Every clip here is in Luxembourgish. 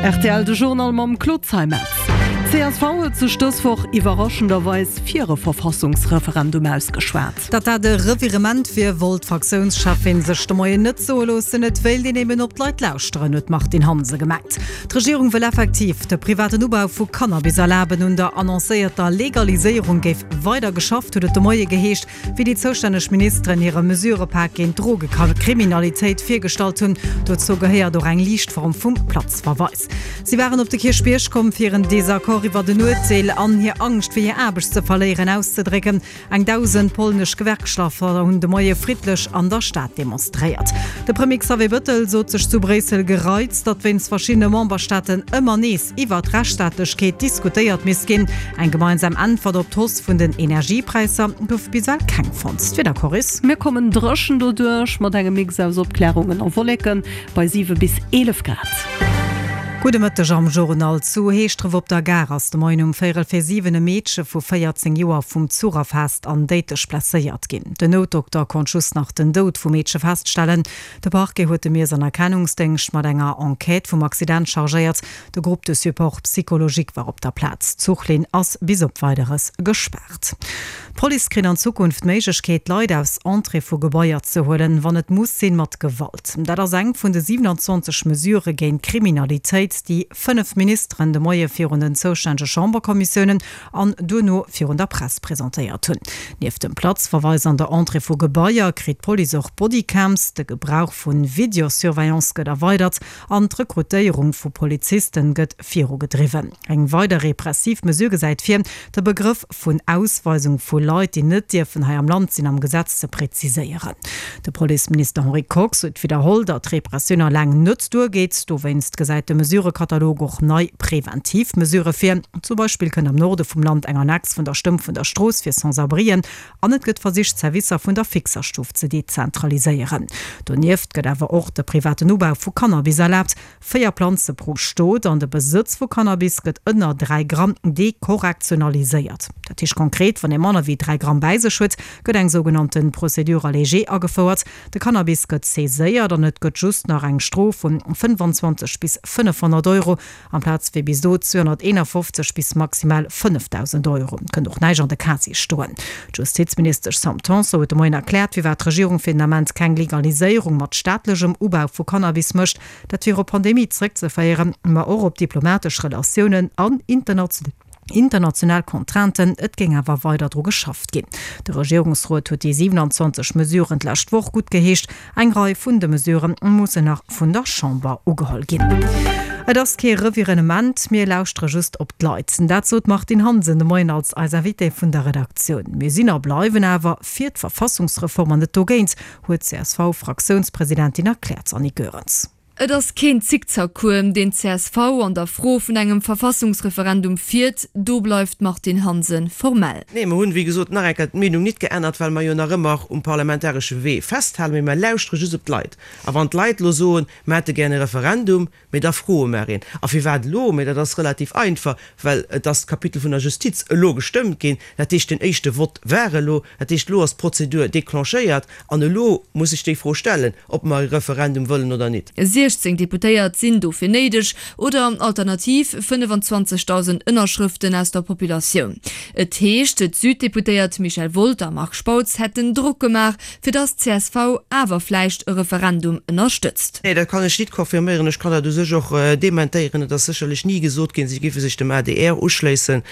Rtl, De Journal mam Claude Zeimetz. D'CSV huet sech dës Woch iwwerraschenderweis fir e Verfassungsreferendum ausgeschwat. Datt dat e Revirement wier, wollt d'Fraktiounscheffin sech de Moien net soe loossen. Et wéilt een eben op d'Leit lauschteren, huet d'Martine Hansen gemengt. D'Regierung wëll effektiv de privaten Ubau vu Cannabis erlaben. Un der annoncéierter Legaliséierung géif weider geschafft, huet et de Moie geheescht. Wéi déi zoustänneg Ministeren hire Mesurëpak géint d'Drogekriminalitéit virgestallt hunn. Dozou gehéiert och eng liicht Form vum Platzverweis. Si waren op de Kierchbierg komm, fir hiren Desaccord iwwert en Urteel an hir Angscht, fir hir Aarbecht ze verléieren, auszedrécken. Eng 1.000 polnesch Gewerkschafter hunn de Moie friddlech an der Stad demonstréiert. De Premier Xavier Bëttel sot sech zu Bréissel gereizt, datt wéinst verschiddene Memberstaaten ëmmer nees iwwer d'Rechtsstaatlechkeet diskutéiert misst ginn. Eng gemeinsam Äntwert op d'Hausse vun den Energiepräisser gouf bis ewell keng fonnt. D'Wiedercorris. Mir kommen dréchen doduerch, mat engem Mix aus Opklärungen a Wolleken bei 7 bis 11 Grad. Gudde Mëtteg am Journal. Zu Heeschdref op der Gare ass de Moien um véierel vir 7 e Meedche vu 14 Joer vum Zuch erfaasst an déidlech blesséiert ginn. Den Noutdokter konnt just nach den Doud vum Meedche feststellen. De Parquet huet de Miess an Erkennungsdéngscht mat enger Enquête vum Accident chargéiert. De Groupe de support psychologique war op der Plaz. D'Zuchlinn ass bis op Weideres gespaart. D'Police kritt an Zukunft d'Méiglechkeet, Leit aus Entrée vu Gebaier ze huelen, wann et muss sinn, mat Gewalt. Dat ass eng vun de 27 Mesurë géint d'Kriminalitéit, déi 5 Ministeren de Moie virun den zoustännege Chamberkommissiounen an duerno virun der Press presentéiert hunn. Nieft dem Platzverweis an der Entrée vu Gebaier kritt d'Police och Bodycams, de Gebrauch vu Videosurveillance gëtt erweidert an d'Rekrutéierung vu Polizisten gëtt virugedriwwen. Eng weider repressiv Mesure gesäit vir, de Begrëff vun Ausweisung vu Leit, déi net dierfen hei am Land sinn, am Gesetz ze präziséieren. De Policeminister Henri Kox huet widderholl, datt Repressioun alleng net duergeet. Dowéinst gesäit de Mesurëkatalog och nei preventiv Mesurë vir. Zum Beispill kënnt am Norde vum Land eng Annex vun der Stëmm vun der Strooss fir Sans-abrien an et gëtt versicht, d'Servicer vun der Fixerstuff ze dezentraliséieren. Donieft gëtt awer och de privaten Ubau vu Cannabis erlaabt. 4 Planze pro Stot an de Besëtz vu Cannabis gëtt ënner 3 Gramm dekorrektionaliséiert. Dat heescht konkret, wann ee manner wéi 3 Gramm bäi sech huet, gëtt eng sougenannte Procédure allégée agefouert. De Cannabis gëtt saiséiert an et gëtt just nach eng Strof vun 25 bis 500 Euro amplaz wéi bis do 251 bis maximal 5.000 Euro. Et kënnt och näischt an de Casier stoen. D'Justizministesch Sam Tanson huet de Moien erkläert, firwat d'Regierung fir den Ament keng Legaliséierung mat staatlechem Ubau vu Cannabis mécht. Dat wier op d'Pandemie zréckzeféieren, ma och op diplomatesch Relatiounen an international Contrainten. Et géing awer weider dru geschafft ginn. De Regierungsrot huet déi 27 Mesuren d'lescht Woch guttgeheescht. Eng Rei vun de Mesurë mussen nach vun der Chamber ugeholl ginn. Et ass kee Revirenement, mir lauschtere just op d'Leit. Dat sot d'Martine Hansen de Moien als eis Invitée vun der Redaktioun. Mir sinn a bleiwen awer fir d'Verfassungsreform an net dogéint, huet d'CSV-Fraktiounspresidentin erkläert. Annick Goerens. Et ass keen Zickzackcours, deen d'CSV an der Fro vun engem Verfassungsreferendum fiert, do bleift d'Martine Hansen formell. Nee, mer hunn, wéi gesot, nach eng Kéier d'Meenung nit geännert, well mer jo nach ëmmer um parlamentaresche Wee festhalen, mee mer lauschtere just op d'Leit. A wann d'Leit elo soen, mer hätte gär e Referendum, Mee da froe mer een, A firwat elo? Mee dat ass relativ einfach, well et ass d'Kapitel vun der Justiz elo gestëmmt ginn. Dat heescht, den éischte Vott war elo. Dat heescht, elo ass d'Prozedur declenchéiert an elo muss sech déi Fro stellen, ob mer e Referendum wëllen oder nit. 16 Deputéiert sinn dofir néideg, oder alternativ 25.000 Ënnerschrëften aus der Populatioun. Et heescht, d'Süddeputéiert Michel Wolter a Marc Spautz hätten Drock gemaach, fir dass csv awer vläicht e Referendum ënnerstëtzt. Nee, dat kann ech nit confirméieren. Ech kann dat u sech och dementéieren. Et ass sécherlech ni gesot ginn, si géife sech dem adr uschléissen.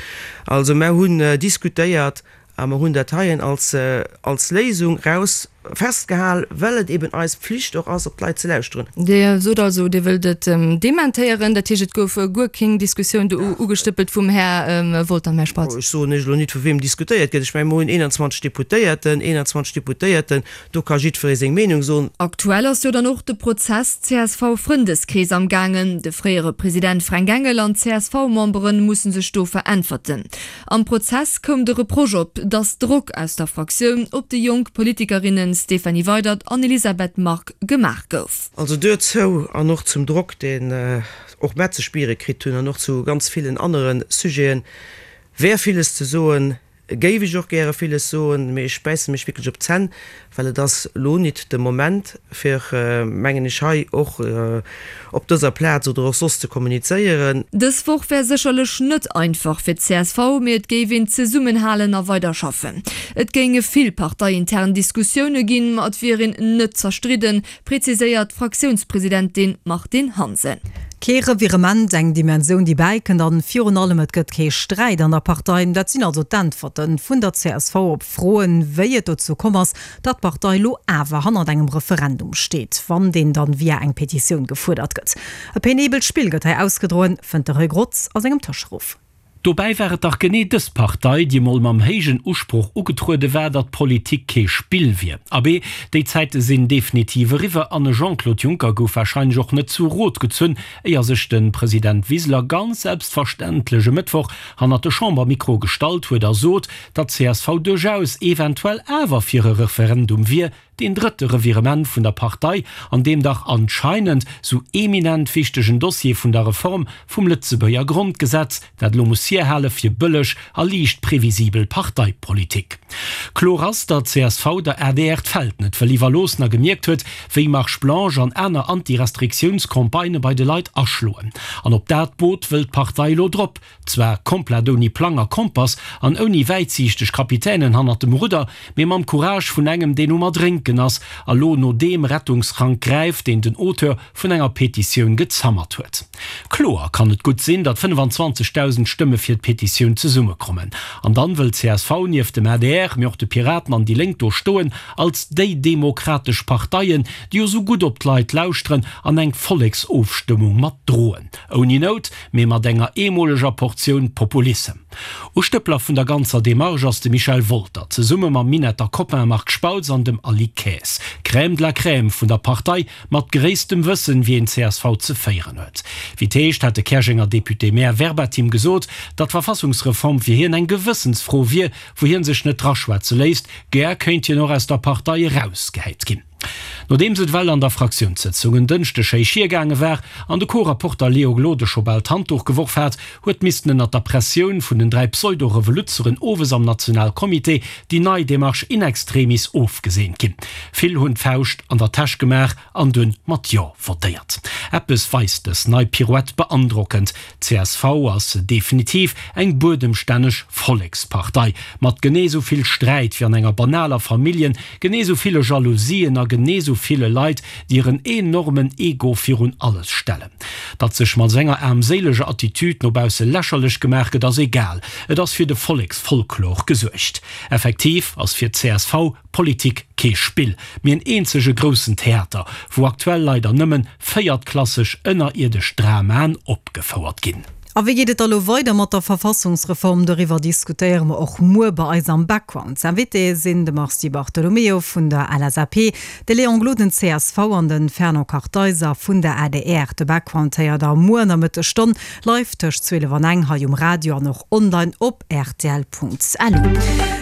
Also mer hunn diskutéiert a mer hunn dat heien als als Léisung raus festgehal, well et eben eis Pflicht och ass, op d'Leit ze lauschteren. Dir sot also, Dir wëllt et dementéieren. Dat heescht, et gouf guer kéng Diskussioun do ugestëppelt vum Här Wolter an Här Spautz? Ech soen Iech elo nit, vu weem diskutéiert gëtt. Ech mengen, mer hunn 21 Deputéierten, 21 Deputéierten, do ka jiddweree seng Meenung soen. Aktuell ass jo dann och de Prozess CSV-Frëndeskrees am gaangen. De fréiere President Fränk Engel an d'CSV-Membere musse sech do veräntwerten. Am Prozess koum de Reproche op, datt Drock aus der Fraktioun op déi jonk Politikerinne Stéphanie Weydert an Elisabeth Margue gemaach gouf. Also duerzou an och zum Drock, deen och mer ze spiere kritt hunn an och zu ganz villen anere Sujeten, wär villes ze soen. géif ech och gäre villes soen, mee ech bäisse mech wierklech op d'Zänn, well et ass elo nit de Moment fir, mengen ech, hei och op dëser Plaz oder och soss ze kommunizéieren. Dës Woch wär sécherlech net einfach fir d'CSV, mee et géif een zesummenhalen a weider schaffen. Et géinge vill parteiintern Diskussioune ginn, ma et wier een net zerstridden, preziséiert d'Fraktiounspresidentin Martine Hansen. Kee Revirement, eng Dimensioun déi bäikënnt an virun allem et gëtt kee Sträit an der Partei. Dat sinn also d'Äntwerte vun der csv op Froen, wéi et dozou komm ass, datt d'Partei lo awer hannert engem Referendum steet, wann deen dann via eng Petitioun gefuerdert gëtt. E penibelt Spill gëtt hei ausgedroen, fënnt de Roy Grotz a sengem Tëscheruff. Dobäi war et dach genee dës Partei, déi emol mam héijen Usproch ugetruede war, datt Politik kee Spill wier. Abee, déi Zäite sinn definitiv eriwwer an e Jean-Claude Juncker gouf warscheinlech och net zu Rot gezunn, éier sech de President Wiseler ganz selbstverständlech e Mëttwoch hannert de Chambermikro gestallt huet a sot, datt csv duerchaus eventuell awer fir e Referendum wier, Deen drëtte Revirement vun der Partei an deem dach anscheinend sou eminent wichtegen Dossier vun der Reform vum Lëtzebuerger Grondgesetz, dat elo muss hierhale fir bëlleg a liicht previsibel Parteipolitik. Kloer ass, datt csv der adr d'Feld net wëll iwwerloossen a gemierkt huet, wéi Marche blanche an aner Anti-Restriktiouns-Campagnë bei de Leit aschloen. An op dat Boot wëll d'Partei elo drop. Zwar komplett ouni Plang a Kompass an ouni wäitsiichteg Kapitänen hannert dem Rudder, mee mam Courage vun engem, deen um Erdrénken ass a lo no deem Rettungsrank gräift, deen den Auteur vun enger Petitioun gezammert huet. Kloer kann et gutt sinn, datt 25.000 Stëmme fir d'Petitioun zesummekommen. An dann wëll csv nieft dem adr, mee och de Piraten an déi Lénk do stoen als déi demokratesch Parteien, déi jo sou gutt op d'Leit lauschteren an eng Volleksofstëmmung mat droen. Ouni Nout, mee mat enger eemoleger Portioun Populissem. Ustëppler vun der ganzer Demarche ass de Michel Wolter, zesumme mam Minetter Copain Marc Spautz an dem Aly Kaes. Crème de la Crème vun der Partei, mat gréisstem Wëssen, wéi een csv ze féieren huet. Wéi 't heescht, hat de Käerjenger Député-Maire verbatim gesot, datt d'Verfassungsreform fir hien eng Gewëssensfro wier, wou hien sech net draschwätze léisst. Gär kéint hien och aus der Partei erausgehäit ginn. Nodeems et ewell an der Fraktiounssëtzung en Dënschdeg héich hiergaange war an de Co-Rapporter Léo Gloden scho bal d'Handduch geworf hat, huet missten ënnert der Pressioun vun den 3 Pseudo-Revoluzzeren owes am Nationalcomité déi nei Demarche in extremis ofgeseent ginn. Vill hunn d'Fauscht an der Täsch gemaach an dunn mat Jo votéiert. Eppes weist dës nei Pirouette beandrockend, Csv ass definitiv eng buedemstänneg Vollekspartei, mat genee sou vill Sträit wéi an enger banaler Familljen, genee sou ville Jalousien a genee sou ville Leit, déi hiren enormen Ego virun alles stellen. Datt sech mat sou enger aarmséileger Attitude no bausse lächerlech gemaach gëtt, ass egal, et ass fir de Volleksfolklor gesuergt. Effektiv ass fir csv Politik kee Spill, mee en eenzege groussen Theater, wou aktuell leider nëmmen véiertklasseg ënnerierdesch Dramaen opgefouert ginn. A wéi geet et da lo weider mat der Verfassungsreform? Doriwwer diskutéiere mer och muer bei eis am Background. Invitée sinn de Mars Di Bartolomeo vun der LSAP, de Léon Gloden, csv, an de Fernand Kartheiser vun der adr. De Background héiert der muer an der Mëttesstonn live tëscht 12 an eng hei um Radio an och online op rtl.lu.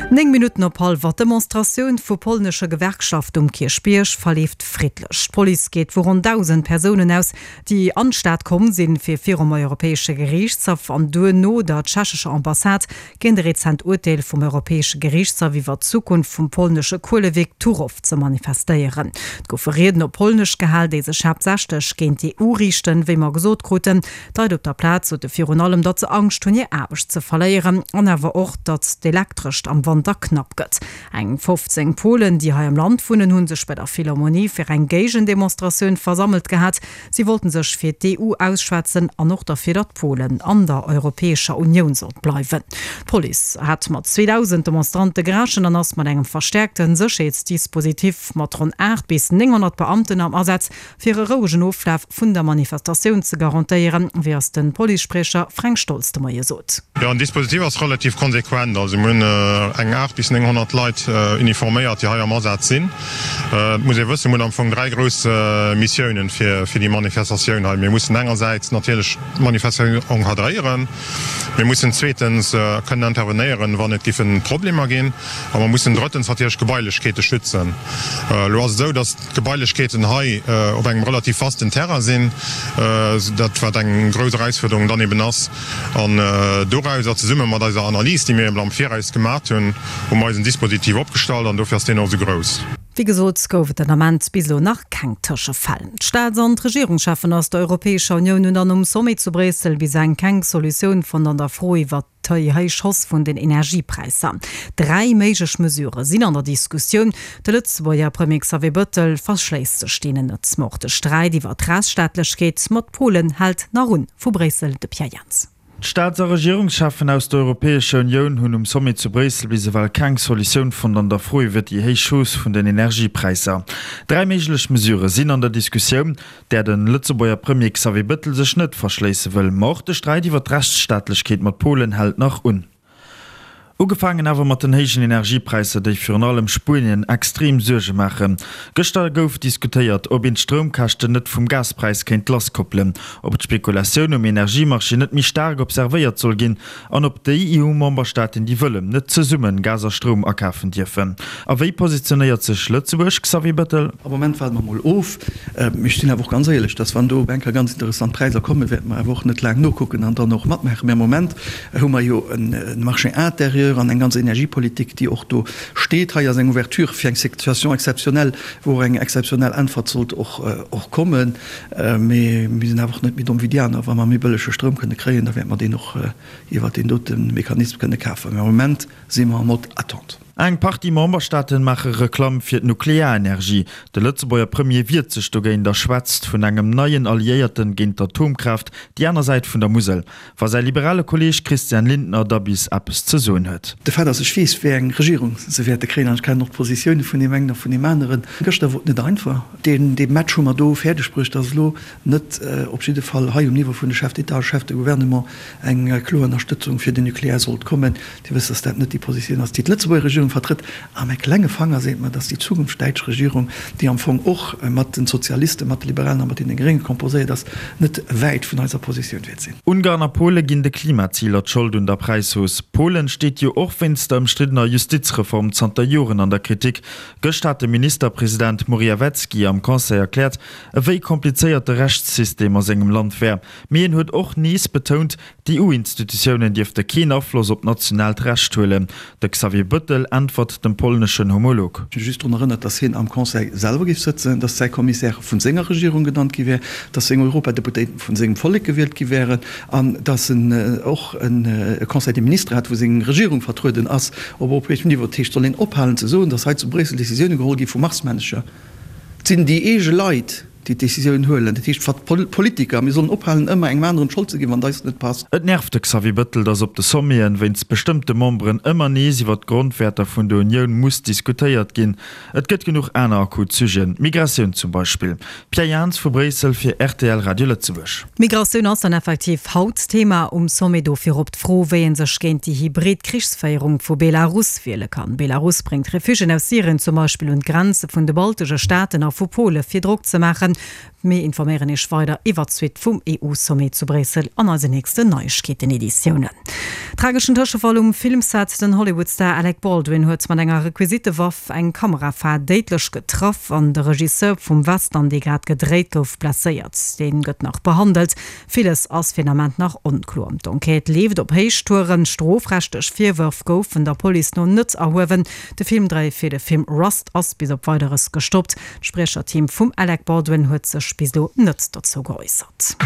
9 Minutten op hallwer, D'Demonstratioun vu polnesche Gewerkschaften um Kierchbierg verleeft friddlech. D'Police geet vu ronn 1.000 Persounen aus, déi an d'Stad komm sinn, fir virum Europäesche Geriichtshaff an duerno der tschechescher Ambassade géint e rezent Urteel vum Europäesche Geriichtshaff iwwer d'Zukunft vum polnesche Kuelewierk Turow ze manifestéieren. Et goufe Rieden op Polnesch gehal, déi sech haaptsächlech géint d'EU riichten, wéi mer gesot kruten. D'Leit op der Plaz sote virun allem, datt se Angscht hunn, hir Aarbecht ze verléieren an awer och, datt d'Elektrescht am Wanter knapp gëtt. Eng 15 Polen, déi hei am Land wunnen, hu sech bei der Philharmonie fir eng Géigendemonstratioun versammelt gehat. Si wollten sech fir d'EU ausschwätzen an och derfir, datt Polen an der Europäescher Unioun sollt bleiwen. D'Police hat mat 2.000 Demonstrante gerechent an ass mat engem verstäerkte Sécherheetsdispositif mat ronn 8 bis 900 Beamten am Asaz Fir e rouegen Oflaf vun der Manifestatioun ze garantéieren, wéi eis de Policespriecher Fränk Stolz de Moie sot. Jo, den Dispositif ass relativ konsequent. Also mir hunn eng. eng 8 bis 900 Leit uniforméiert, déi hei am Asaz sinn. Et muss ee wëssen, mir hunn am Fong 3 grouss Missiounen fir déi Manifestatioun hei. Mir mussen engersäits natierlech d'Manifestatioun encadréieren, mir mussen zweetens kënnen intervenéieren, wann et giffe Problemer ginn, a mer mussen drëttens natierlech d'Gebailechkeete schützen. Elo ass et esou, datt d'Gebailechkeeten hei op engem relativ vasten Terrain sinn, dat wat eng grouss Erausfuerderung dann eben ass. An dorauser, zesumme mat eiser Analys, déi mir eben am Viraus gemat hunn, hu mer eisen Dispositif opgestallt an dofir ass deen och esou grouss. Wéi gesot gouf et den Ament bis elo nach keng Tëschefäll. D'Staats an d'Regierungscheffen aus der Europäescher Unioun hunn dann um Sommet zu Bréissel bis eng keng Solutioun fonnt an der Fro iwwert déi héich Hausse vun den Energiepräisser. 3 méiglech Mesurë sinn an der Diskussioun. De Lëtzebuerger Premier Xavier Bëttel verschléisst sech deenen net. Ma och de Sträit iwwer d'Rechtsstaatlechkeet mat Polen hält nach un. Vu Bréissel de Pierre Jans. D'Staats a Regierungscheffen aus der Europäescher Unioun hunn um Sommet zu Bréissel bis ewell keng Solutioun fonnt an der Fro iwwer déi héich Hausse vun den Energiepräisser. 3 méiglech Mesurë sinn an der Diskussioun, där de Lëtzebuerger Premier Xavier Bëttel sech net verschléisse wëll. Ma och de Sträit iwwer d'Rechtsstaatlechkeet mat Polen hält nach un. Ugefaangen awer mat den héijen Energiepräisser, déi virun allem Spuenien extrem Suerge maachen. Gëschter gouf diskutéiert, ob een d'Stroumkäschten net vum Gaspräis kéint lasskoppelen, ob d'Spekulatioun um Energiemarché net méi staark observéiert soll ginn an ob déi EU-Memberstaaten, déi wëllen, net zesumme Gas a Stroum akafen dierfen. A wéi positionéiert sech Lëtzebuerg, Xavier Bettel? Am Moment waarde mer mol of. Mee ech sinn awer och ganz éierlech, dass wann do op eng Kéier ganz interessant Präisser kommen, wäerte mer awer och net laang nokucken an dann och matmaachen. Mee am Moment hu mer jo e Marché intérieur an eng ganz Energiepolitik, déi och do steet. Hei ass eng Ouverture fir eng Situation exceptionnelle, wou och eng exceptionnell Äntwert sollt och kommen. Mee mir sinn awer och net méi domm wéi déi aner. Wa mer méi bëllege Stroum kënne kréien, da wäerte mer deen och iwwert deen dote Mechanisme kënne kafen. Mee am Moment si mer en mode attente. Eng Partie Memberstaaten maache Reklamm fir d'Nuklearenergie. De Lëtzebuerger Premier wiert sech dogéint a schwätzt vun engem neien Alliéierten géint d'Atomkraaft, déi aner Säit vun der Musel. Wa säi liberale Kolleeg Christian Lindner da bis eppes ze soen huet. De Fait ass, ech weess, wéi eng Regierung se wäerte kréien an ech kennen och d'Positioune vun deem engen a vun deem aneren. Gëschter wor et net einfach. Deen Match hu mer do fäerdeg bruecht, datt elo net op jidde Fall hei um Niveau vun de Chefs d'État a Chefs de Gouvernement eng kloer Ënnerstëtzung fir den Nucléaire sollt kommen. Dir wësst, datt dat net déi Positioun ass, déi d'Lëtzebuerger Regierung vertrëtt. A mäi klenge Fanger seet mer, datt déi zukünfteg däitsch Regierung, déi am Fong och mat den Sozialisten, mat de Liberalen a mat deene Grénge composéiert ass, net wäit vun eiser Positioun wäert sinn. Ungarn a Pole ginn de Klimaziler d'Schold un der Präishausse. Polen steet jo och wéinst der ëmstriddener Justizreform zanter Joren an der Kritik. Gëscht hat de Ministerpresident Morawiecki am Conseil erkläert, ewéi komplizéiert de Rechtssystem a sengem Land wär. Mee en huet och nees betount, D'EU-Institutiounen dierfte keen Afloss op nationaalt Recht huelen. De Xavier Bëttel äntwert dem polneschen Homolog. Ech hu just drun erënnert, datt hien am Conseil selwer géif sëtzen, datt säi Commissaire vun senger Regierung genannt gi wär, datt seng Europadeputéiten vun sengem Vollek gewielt gi wären an datt en och e Conseil des ministres hat, wou seng Regierung vertrueden ass op europäeschem Niveau. Dat heescht, soll een ophalen ze soen, datt hei zu Bréissel Décisioune geholl gi vu Marsmännecher? Et sinn déi eege Leit. déi d'Décisioun huelen. Dat heescht, d'Politiker, mir sollen ophalen, ëmmer engem aneren d'Schold ze ginn, wann et eis net passt. Et nervt de Xavier Bëttel, datt op de Sommeten wéinst bestëmmte Memberen ëmmer nees iwwer d'Grondwäerter vun der Unioun muss diskutéiert ginn. Et gëtt genuch aner akut Sujeten, d'Migratioun zum Beispill. Pierre Jans vu Bréissel fir rtl Radio Lëtzebuerg. D'Migratioun ass dann effektiv haut Thema um Sommet. Dofir op d'Fro, wéi ee sech géint déi hybrid Krichsféierung vu Belarus wiele kann. Belarus bréngt Refugiéen aus Syrien zum Beispill un d'Grenze vun de baltesche Staaten a vu Pole fir Drock ze maachen. Mir informéieren Iech weider iwwert d'Suite vum EU-Sommet zu Bréissel an eisen nächsten Neiegkeeten-Editiounen. Trageschen Tëschefall um Filmset, Den Hollywood-Star Alec Baldwin huet mat enger Requisitewaff eng Kamerafar déidlech getraff an de Regisseur vum Western, dee grad gedréit gouf, blesséiert. Dee gëtt nach behandelt. Villes ass fir den Ament nach onkloer. D'Enquête leeft op Héichtouren. Strofrechtlech Virwërf goufen der Police no net erhuewen. De Filmdréi fir de Film Rust ass bis op Weideres gestoppt. D'Spriecherteam vum Alec Baldwin huet sech bis elo net dozou geäussert.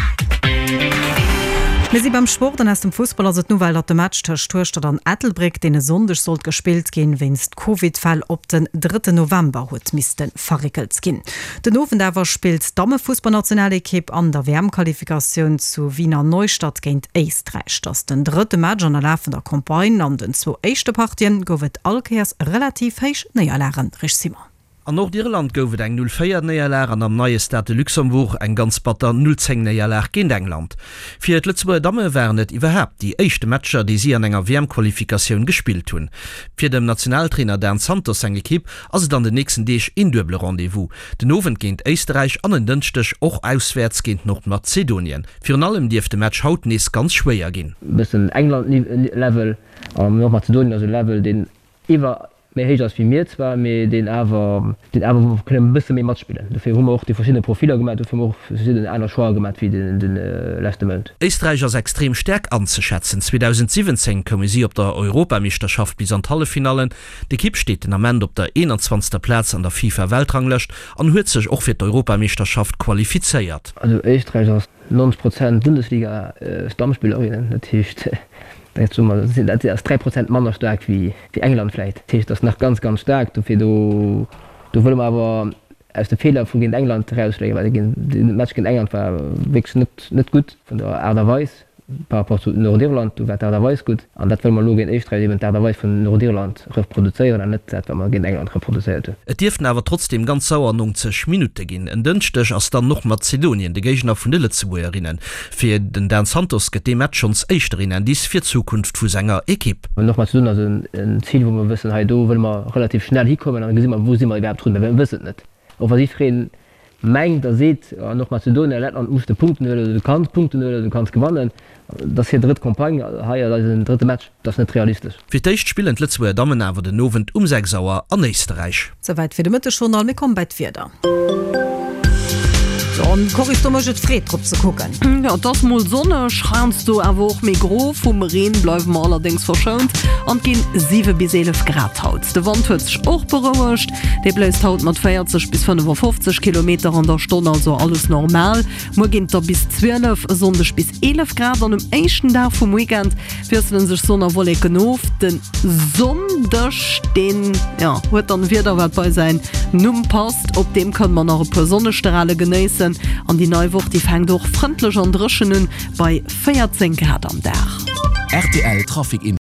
Mir si beim Sport an aus dem Fussball ass et d'Nouvelle, datt de Match tëscht Hueschtert an Ettelbréck, deen e Sonndeg sollt gespillt ginn, wéinst Covid-Fäll op den drëtten November huet misste verréckelt ginn. Den Owend awer spillt d'Dammefussballnationalekipp an der WM-Qualifikatioun zu Wiener Neustadt géint Éisträich. Et ass den drëtte Match an der lafender Campagne. An den zwou éischte Partien gouf et all Kéiers relativ héich Néierlagen. Rich Simon. An Nordirland gouf et eng 0, 4 Néierlag an am neie Stade de Luxembourg eng ganz batter 0, 10 Néierlag géint England. Fir d'Lëtzebuerger Damme waren et iwwerhaapt déi éischte Matcher, déi si an enger WM-Qualifikatioun gespillt hunn. Fir dem Nationaltrainer Dan Santos seng Ekipp ass et an den nächsten Deeg een duebele Rendez-vous, den Owend géint Éisterräich an en Dënschdeg och auswäerts géint Nordmazedonien. Virun allem dierft de Match haut nees ganz schwéier ginn. Bëssen England-Level an Nordmazedonien ass e Level, deen iwwer méi héich ass wéi mir zwar, mee deen awer, deen awer wou mer kënnen e bësse méi matspillen. Dofir hu mer och déi verschidde Profiller gemaach, dofir hu mer och verschidden aner Choixë gemaach wéi de leschte Mount. Éisträich ass extrem staark anzeschätzen. 2017 koume si op der Europameeschterschaft bis an d'Halleffinallen. D'Ekipp steet den Ament op der 21. Plaz an der FIFA-Weltranglëscht an huet sech och fir d'Europameeschterschaft qualifizéiert. Also Éisträich ass 90 Prozent Bundesliga Stammspillerinnen, dat heescht dat soe mer, dat ass 3 Prozent manner staark wéi England vläit. Dat heescht, dat ass nach ganz, ganz staark. Dofir do do wëlle mer awer aus de Feeler vu géint England erausléieren, well de Match géint England war wierklech net net gutt vun der Aart a Weis. Par rapport zu Nordirland, do war d'Aart a Weis gutt. An dat wëlle mer elo géint Éisträich eben d'Aart a Weis vun Nordirland reproduzéieren an net dat, wat mer géint England reproduzéiert hunn. Et dierften awer trotzdeem ganz sauer 90 Minutte ginn. En Dënschdeg ass dann Nordmazedonien de Géigner vun de Lëtzebuergerinnen. Fir den Dan Santos gëtt dee Match schonns éischter een Indice fir d'Zukunft vu senger Ekipp. Nordmazedonien ass en Zil, wou mer wëssen, hei do wëlle mer relativ schnell hikommen an da gesi mer, wou si mer iwwerhaapt drun, well mir wëssen et net. Och wa jiddwereen mengt a seet, an Nordmazedonien a Lettland muss de Punkten huelen oder du kanns Punkten huelen oder du kanns gewannen, dat ass hir drëtt Campagne, hei ass eisen drëtte Match, dat ass net realistesch. Fir d'éischt spillen d'Lëtzebuerger Dammen awer den Owend um 6 Auer an Éisterräich. Souwäit fir de Mëttesjournal. Mir komme bei d'Wieder. Jo, an Coris, do mécht et Freed drop ze kucken. Jo, et ass mol sonneg, heiansdo awer och méi gro. Vum Reen bleiwe mer allerdéngs verschount an et ginn 7 bis 11 Grad haut. De Wand huet sech och berouegt. Dee bléist haut mat 40 bis 55 Kilometer an der Stonn, also alles normal. Muer ginn et der bis 12, e Sonndeg bis 11 Grad an um éischten Dag vum Weekend wiessele sech Sonn a Wolleken of. De Sonndeg, deen, jo, huet dann e Wieder, wat bei säin Numm passt. Op deem kënne mer nach e puer Sonnestrale genéissen an déi nei Woch, déi fänkt och frëndlech an dréchen un, bei 14 Grad am Dag. Rtl Trafic Info.